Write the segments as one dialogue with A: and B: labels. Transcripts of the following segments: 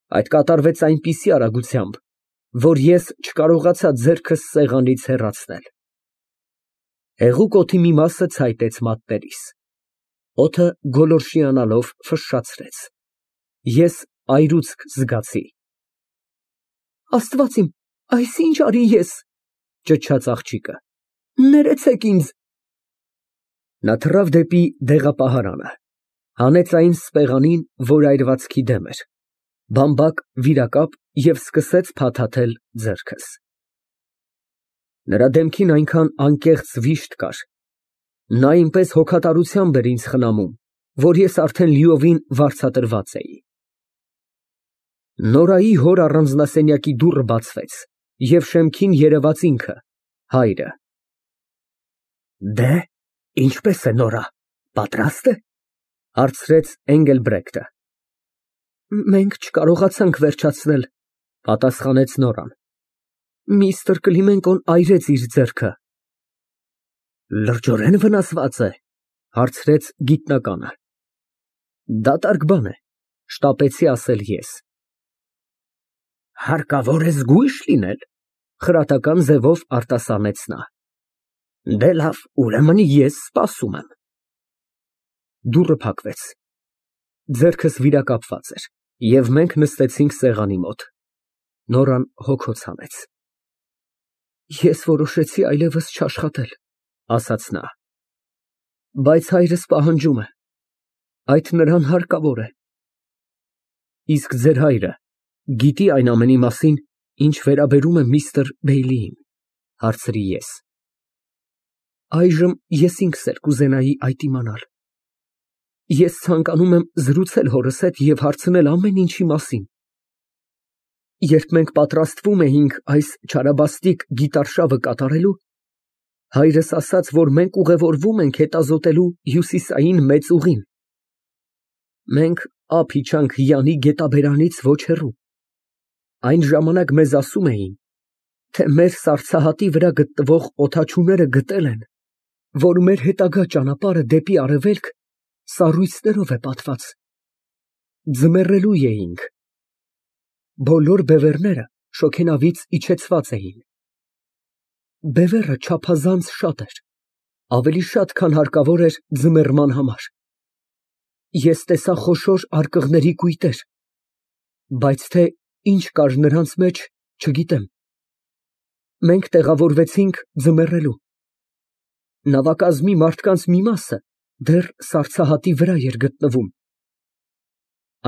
A: Այդ կատարվեց այնպիսի արագությամբ, որ ես չկարողացա ձեռքս սեղանից հեռացնել։ Հեղուկ օդի մի մասը ցայտեց մատներիս։ Օդը գոլորշիանալով ֆշշացրեց։ Ես այրուցք զգացի։ Աստված իմ, այս ինչ արի ես, ճչաց աղջիկը, ներեցեք ինձ։ Նա թռավ դեպի դեղապահարանը, հանեց այն սպեղանին, որ այրվածքի դեմ էր, բամբակ, վիրակապ և սկսեց փաթաթել ձեռքս։ Նրա դեմքին այնքան անկեղծ վիշտ կար, նա այնպես հոգատարությամբ էր ինձ խնամում, որ ես արդեն լիովին վարձատրված էի։ Նորայի հոր առանձնասենյակի դուռը բացվեց, և շեմքին երևաց ինքը, հայրը։ Ինչպե՞ս է Նորա, պատրա՞ստ է, հարցրեց Էնգելբրեկտը։ Մենք չկարողացանք վերջացնել, պատասխանեց Նորան։ Միստր Կլիմենկոն այրեց իր ձեռքը։ Լրջորեն վնասված է, հարցրեց գիտնականը։ Դատարկ բան է, շտապեցի ասել ես։ Հարկավոր է զգույշ լինել, խրատական ձևով արտասանեց նա։ Դե լավ, ուրեմն ես սպասում եմ։ Դուռը փակվեց։ Ձեռքս վիրակապված էր, և մենք նստեցինք սեղանի մոտ։ Նորան հոգոց հանեց։ Ես որոշեցի այլևս չաշխատել, ասաց նա։ Բայց հայրս պահանջում է, այդ նրան հարկավոր է։ Իսկ ձեր հայրը գիտի այն ամենի մասին, ինչ վերաբերում է միստր Բեյլիին, հարցրի ես։ Այժմ ես ինքս էլ կուզենայի այդ իմանալ։ Ես ցանկանում եմ զրուցել հորս հետ և հարցնել ամեն ինչի մասին։ Երբ մենք պատրաստվում էինք այս չարաբաստիկ գիտարշավը կատարելու, հայրս ասաց, որ մենք ուղևորվում ենք հետազոտելու հյուսիսային մեծ ուղին։ Մենք ափ իջանք Յանի գետաբերանից ոչ հեռու։ Այն ժամանակ մեզ ասում էին, թե մեր սառցահատի վրա գտնվող օդաչուները գտել են, որ մեր հետագա ճանապարհը դեպի արևելք սառույցներով է պատված։ Ձմեռելու էինք։ Բոլոր բևեռները շոգենավից իջեցված էին։ Բևեռը չափազանց շատ էր, ավելի շատ, քան հարկավոր էր ձմեռման համար։ Ես տեսա խոշորարկղների կույտեր, բայց թե ինչ կար նրանց մեջ, չգիտեմ։ Մենք տեղավորվեցինք ձմեռելու։ Նավակազմի մարդկանց մի մասը դեռ սառցահատի վրա էր գտնվում։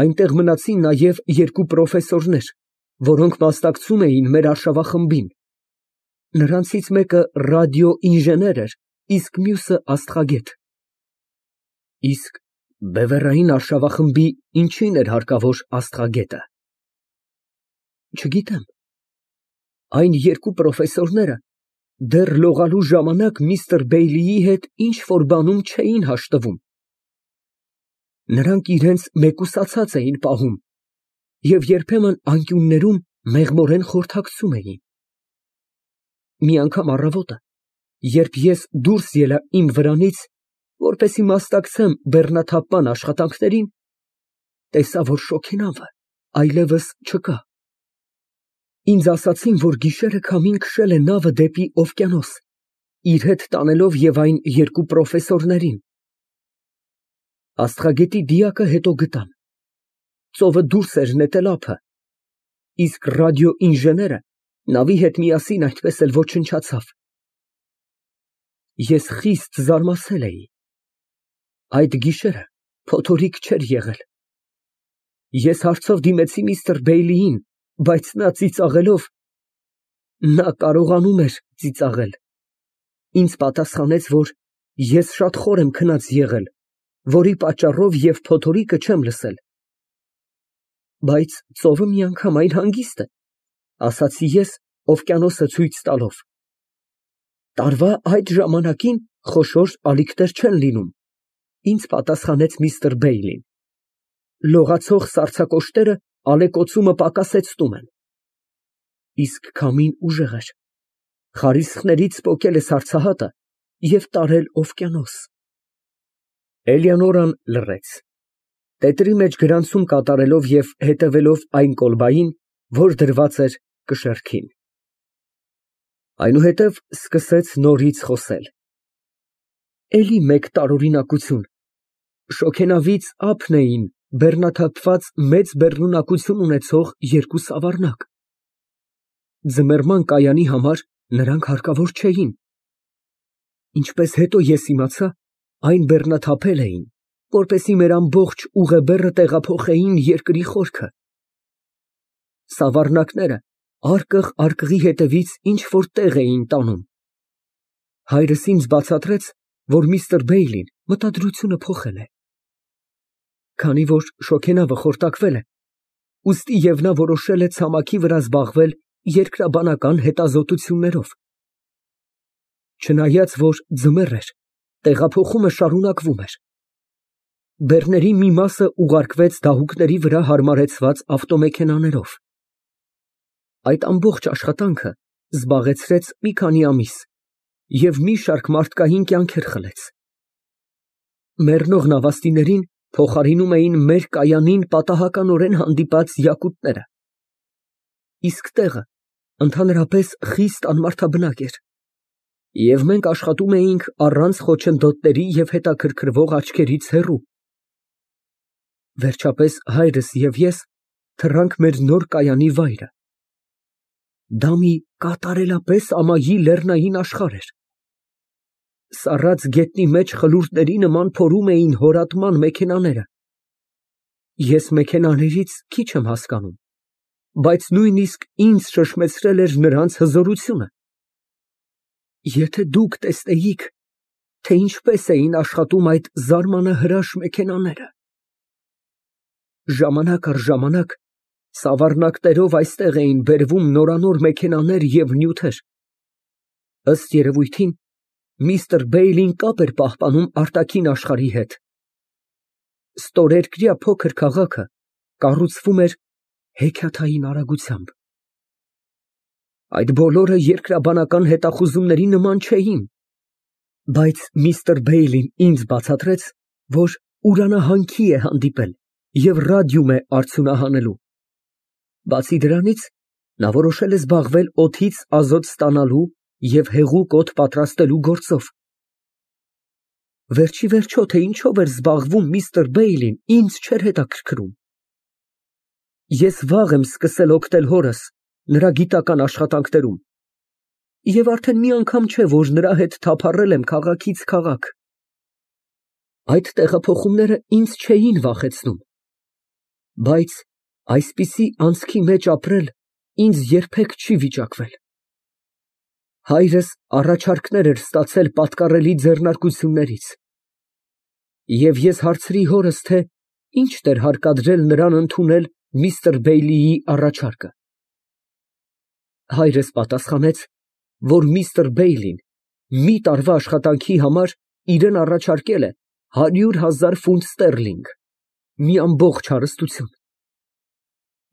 A: Այնտեղ մնացին նաև երկու պրոֆեսորներ, որոնք մասնակցում էին մեր արշավախմբին։ Նրանցից մեկը ռադիոինժեներ էր, իսկ մյուսը աստղագետ։ Իսկ բևեռային արշավախմբի ինչին էր հարկավոր աստղագետը։ Չգիտեմ։ Այն երկու պրոֆեսորները դեռ լողալու ժամանակ միստր Բեյլիի հետ ինչ֊որ բանում չէին հաշտվում։ Նրանք իրենց մեկուսացած էին պահում և երբեմն անկյուններում մեղմորեն խորհրդակցում էին։ Մի անգամ առավոտը, երբ ես դուրս ելա իմ վրանից, որպեսզի մասնակցեմ բեռնաթափման աշխատանքներին, տեսա, որ շոգենավը այլևս չկա։ Ինձ ասացին, որ գիշերը քամին քշել է նավը դեպի օվկիանոս, իր հետ տանելով և այն երկու պրոֆեսորներին։ Աստղագետի դիակը հետո գտան։ Ծովը դուրս էր նետել ափը, իսկ ռադիոինժեները նավի հետ միասին այդպես էլ ոչնչացավ։ Ես խիստ զարմացել էի։ Այդ գիշերը փոթորիկ չէր եղել։ Ես հարցով դիմեցի միստր Բեյլիին, բայց նա ծիծաղելով (նա կարողանում էր ծիծաղել) ինձ պատասխանեց, որ ես շատ խոր եմ քնած եղել, որի պատճառով և փոթորիկը չեմ լսել։ Բայց ծովը միանգամայն հանգիստ է, ասացի ես օվկիանոսը ցույց տալով։ Տարվա այդ ժամանակին խոշոր ալիքներ չեն լինում, ինձ պատասխանեց միստր Բեյլին։ Լողացող սառցակոշտերը ալեկոծումը պակասեցնում են։ Իսկ քամին ուժեղ էր, խարիսխներից պոկել է սառցահատը և տարել օվկիանոս։ Էլեոնորան լռեց։ Տետրի մեջ գրանցում կատարելով և հետևելով այն կոլբային, որ դրված էր կշեռքին։ Այնուհետև սկսեց նորից խոսել. Էլի մեկ տարօրինակություն, շոգենավից ափն էին բեռնաթափված մեծ բեռնունակություն ունեցող երկու սավառնակ։ Ձմեռման կայանի համար նրանք հարկավոր չէին։ Ինչպես հետո ես իմացա, այն բեռնաթափել էին, որպեսզի մեր ամբողջ ուղեբեռը տեղափոխեին երկրի խորքը։ Սավառնակները արկղ արկղի հետևից ինչ֊որ տեղ էին տանում։ Հայրս ինձ բացատրեց, որ միստր Բեյլին մտադրությունը փոխել է։ Քանի որ շոգենավը խորտակվել է, ուստի և նա որոշել է ցամաքի վրա զբաղվել երկրաբանական հետազոտություններով։ Չնայած որ ձմեռ էր, տեղափոխումը շարունակվում էր։ Բեռների մի մասը ուղարկվեց դահուկների վրա հարմարեցված ավտոմեքենաներով։ Այդ ամբողջ աշխատանքը զբաղեցրեց մի քանի ամիս և մի շարք մարդկային կյանքեր խլեց։ Մեռնող նավաստիներին փոխարինում էին մեր կայանին պատահականորեն հանդիպած յակուտները։ Իսկ տեղը ընդհանրապես խիստ անմարդաբնակ էր, և մենք աշխատում էինք առանց խոչընդոտների և հետաքրքրվող աչքերից հեռու։ Վերջապես հայրս և ես թռանք մեր նոր կայանի վայրը։ Դա մի կատարելապես ամայի լեռնային աշխարհ էր։ Սառած գետնի մեջ խլուրդների նման փորում էին հորատման մեքենաները։ Ես մեքենաներից քիչ եմ հասկանում, բայց նույնիսկ ինձ շշմեցրել էր նրանց հզորությունը։ Եթե դուք տեսնեիք, թե ինչպես էին աշխատում այդ զարմանահրաշ մեքենաները։ Ժամանակ առ ժամանակ սավառնակներով այստեղ էին բերվում նորանոր մեքենաներ և նյութեր։ Ըստ երևույթին, միստր Բեյլին կապ էր պահպանում արտաքին աշխարհի հետ։ Ստորերկրյա փոքր քաղաքը կառուցվում էր հեքիաթային արագությամբ։ Այդ բոլորը երկրաբանական հետախուզումների նման չէին, բայց միստր Բեյլին ինձ բացատրեց, որ ուրանահանքի է հանդիպել և ռադիում է արդյունահանելու։ Բացի դրանից, նա որոշել է զբաղվել օդից ազոտ ստանալու և հեղուկ օդ պատրաստելու գործով։ Վերջիվերջո, թե ինչով էր զբաղվում միստր Բեյլին, ինձ չէր հետաքրքրում։ Ես վաղ եմ սկսել օգնել հորս նրա գիտական աշխատանքներում և արդեն մի անգամ չէ, որ նրա հետ թափառել եմ քաղաքից քաղաք։ Այդ տեղափոխումները ինձ չէին վախեցնում, բայց այսպիսի անցքի մեջ ապրել ինձ երբեք չի վիճակվել։ Հայրս առաջարկներ էր ստացել պատկառելի ձեռնարկություններից, և ես հարցրի հորս, թե ինչ էր հարկադրել նրան ընդունել միստր Բեյլիի առաջարկը։ Հայրս պատասխանեց, որ միստր Բեյլին մի տարվա աշխատանքի համար իրան առաջարկել է 100,000 ֆունտ ստերլինգ, մի ամբողջ հարստություն։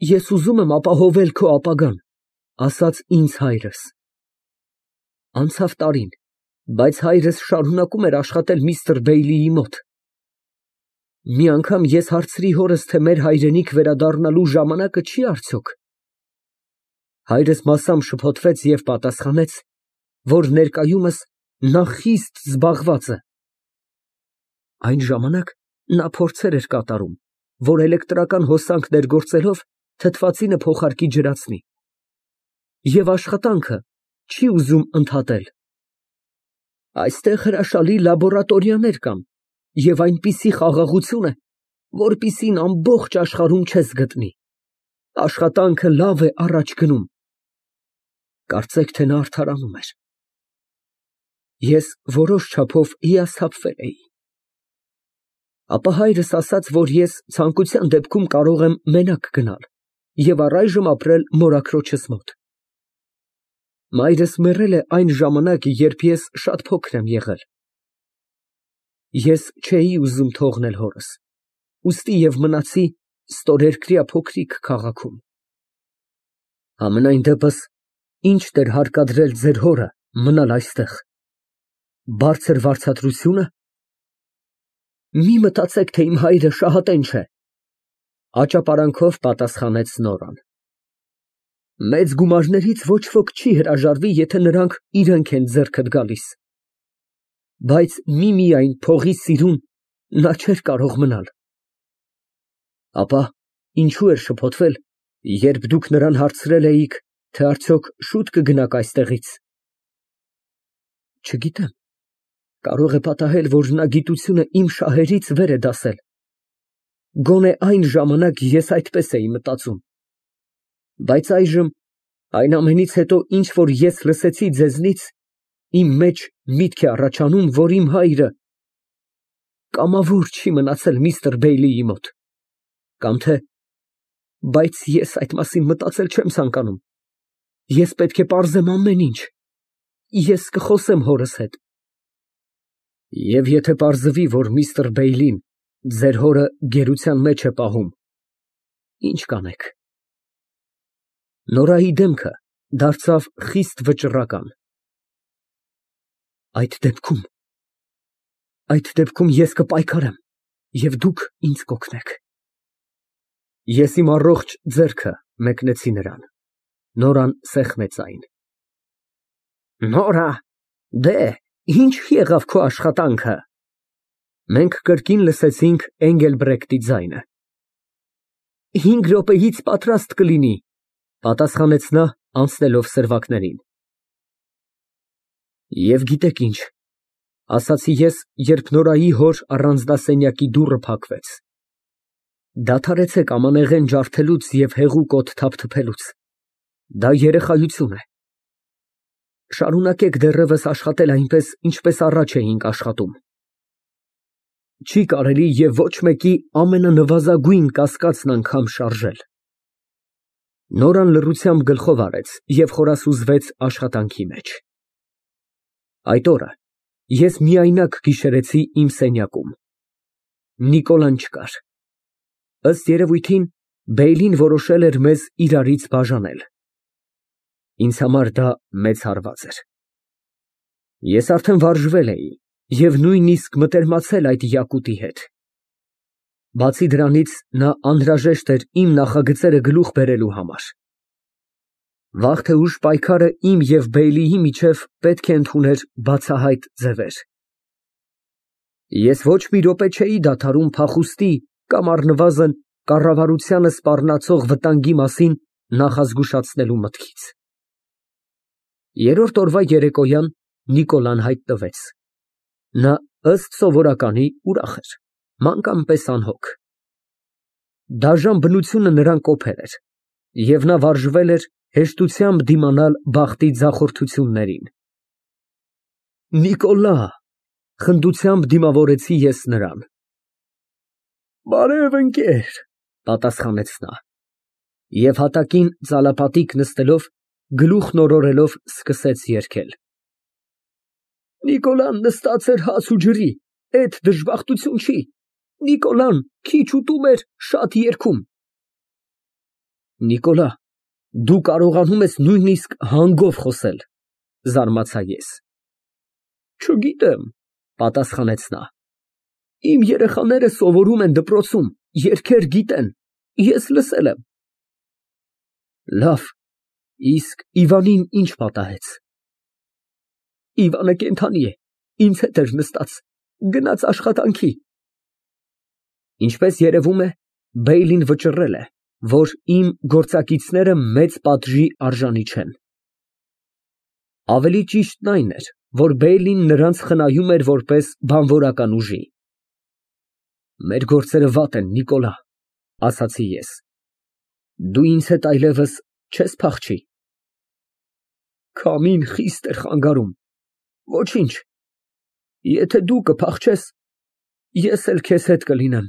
A: Ես ուզում եմ ապահովել քո ապագան, ասաց ինձ հայրս։ Անցավ տարին, բայց հայրս շարունակում էր աշխատել միստր Բեյլիի մոտ։ Մի անգամ ես հարցրի հորս, թե մեր հայրենիք վերադառնալու ժամանակը չի արդյոք։ Հայրս մասամբ շփոթվեց և պատասխանեց, որ ներկայումս նա խիստ զբաղված է։ Այն ժամանակ նա փորձեր էր կատարում, որ էլեկտրական հոսանք ներգործելով թթվածինը փոխարկի ջրածնի, և աշխատանքը չի ուզում ընդհատել։ Այստեղ հրաշալի լաբորատորիաներ կան և այնպիսի խաղաղություն է, որպիսին ամբողջ աշխարհում չես գտնի։ Աշխատանքը լավ է առաջ գնում։ Կարծեք, թե նա արդարանում էր։ Ես որոշ չափով հիասթափվել էի։ Ապա հայրս ասաց, որ ես ցանկության դեպքում կարող եմ մենակ գնալ և առայժմ ապրել մորաքրոջս մոտ։ Մայրս մեռել է այն ժամանակ, երբ ես շատ փոքր եմ եղել։ Ես չէի ուզում թողնել հորս, ուստի և մնացի ստորերկրյա փոքրիկ քաղաքում։ Համենայն դեպս, ի՞նչ էր հարկադրել ձեր հորը մնալ այստեղ։ Բարձր վարձատրությո՞ւնը։ Մի մտածեք, թե իմ հայրը շահատենչ է Աճապարանքով պատասխանեց Նորան։ Մեծ գումարներից ոչ ոք չի հրաժարվի, եթե նրանք իրենք են ձեռքդ գալիս, բայց միմիայն փողի սիրուն նա չէր կարող մնալ։ Ապա ինչու էր շփոթվել, երբ դուք նրան հարցրել էիք, թե արդյոք շուտ կգնաք այստեղից։ Չգիտեմ, կարող է պատահել, որ նա գիտությունը իմ շահերից վեր է դասել։ Գոնե այն ժամանակ ես այդպես էի մտածում։ Բայց այժմ, այն ամենից հետո, ինչ որ ես լսեցի ձեզնից, իմ մեջ միտք է առաջանում, որ իմ հայրը կամավոր չի մնացել միստր Բեյլիի մոտ, կամ թե, բայց ես այդ մասին մտածել չեմ ցանկանում։ Ես պետք է պարզեմ ամեն ինչ։ Ես կխոսեմ հորս հետ։ Եվ եթե պարզվի, որ միստր Բեյլին ձեր հորը գերության մեջ է պահում, ի՞նչ կանեք։ Նորայի դեմքը դարձավ խիստ վճռական։ Այդ դեպքում ես կպայքարեմ, և դուք ինձ կօգնեք։ Ես իմ առողջ ձեռքը մեկնեցի նրան։ Նորան սեղմեց այն։ Նորա, դե, ինչ եղավ քո աշխատանքը։ Մենք կրկին լսեցինք Էնգելբրեկտի ձայնը։ 5 րոպեից պատրաստ կլինի, պատասխանեց նա, անցնելով սրվակներին։ Եվ գիտեք ինչ, ասացի ես, երբ Նորայի հոր առանձնասենյակի դուռը փակվեց, դադարեցեք ամանեղեն ջարդելուց և հեղուկ օդ թափթփելուց, դա երեխայություն է։ Շարունակեք դեռևս աշխատել այնպես, ինչպես առաջ էինք աշխատում։ Չի կարելի և ոչ մեկի ամենանվազագույն կասկածն անգամ շարժել։ Նորան լռությամբ գլխով արեց և խորասուզվեց աշխատանքի մեջ։ Այդ օրը ես միայնակ գիշերեցի իմ սենյակում։ Նիկոլան չկար։ Ըստ երևույթին, Բեյլին որոշել էր մեզ իրարից բաժանել։ Ինձ համար դա մեծ հարված էր։ Ես արդեն վարժվել էի և նույնիսկ մտերմացել այդ յակուտի հետ։ Բացի դրանից, նա անհրաժեշտ էր իմ նախագծերը գլուխ բերելու համար։ Վաղ թե ուշ պայքարը իմ և Բեյլիի միջև պետք է ընդուներ բացահայտ ձևեր։ Ես ոչ մի րոպե չէի դադարում փախուստի կամ առնվազն կառավարությանը սպառնացող վտանգի մասին նախազգուշացնելու մտքից։ Երրորդ օրվա երեկոյան Նիկոլան հայտնվեց։ Նա, ըստ սովորականի, ուրախ էր, մանկան պես անհոգ։ Դաժան բնությունը նրան կոփել էր, և նա վարժվել էր հեշտությամբ դիմանալ բախտի ձախորդություններին։ Նիկոլա, խնդությամբ դիմավորեցի ես նրան։ Բարև, ընկեր, պատասխանեց նա, և հատակին ծալապատիկ նստելով, գլուխն օրորելով սկսեց երգել։ Նիկոլան նստած էր հաց ու ջրի, էդ դժբախտություն չի։ Նիկոլան քիչ ուտում էր, շատ երգում։ Նիկոլա, դու կարողանում ես նույնիսկ հանգով խոսել, զարմացա ես։ Չգիտեմ, պատասխանեց նա։ Իմ երեխաները սովորում են դպրոցում, երգեր գիտեն, ես լսել եմ։ Լավ, իսկ Իվանին ինչ պատահեց։ Իվանը կենդանի է, ինձ հետ էր նստած, գնաց աշխատանքի։ Ինչպես երևում է, Բեյլին վճռել է, որ իմ գործակիցները մեծ պատժի արժանի չեն։ Ավելի ճիշտն այն էր, որ Բեյլին նրանց խնայում էր որպես բանվորական ուժի։ Մեր գործերը վատ են, Նիկոլա, ասացի ես։ Դու ինձ հետ այլևս չես փախչի։ Քամին խիստ էր խանգարում։ Ոչինչ, եթե դու կփախչես, ես էլ քեզ հետ կլինեմ։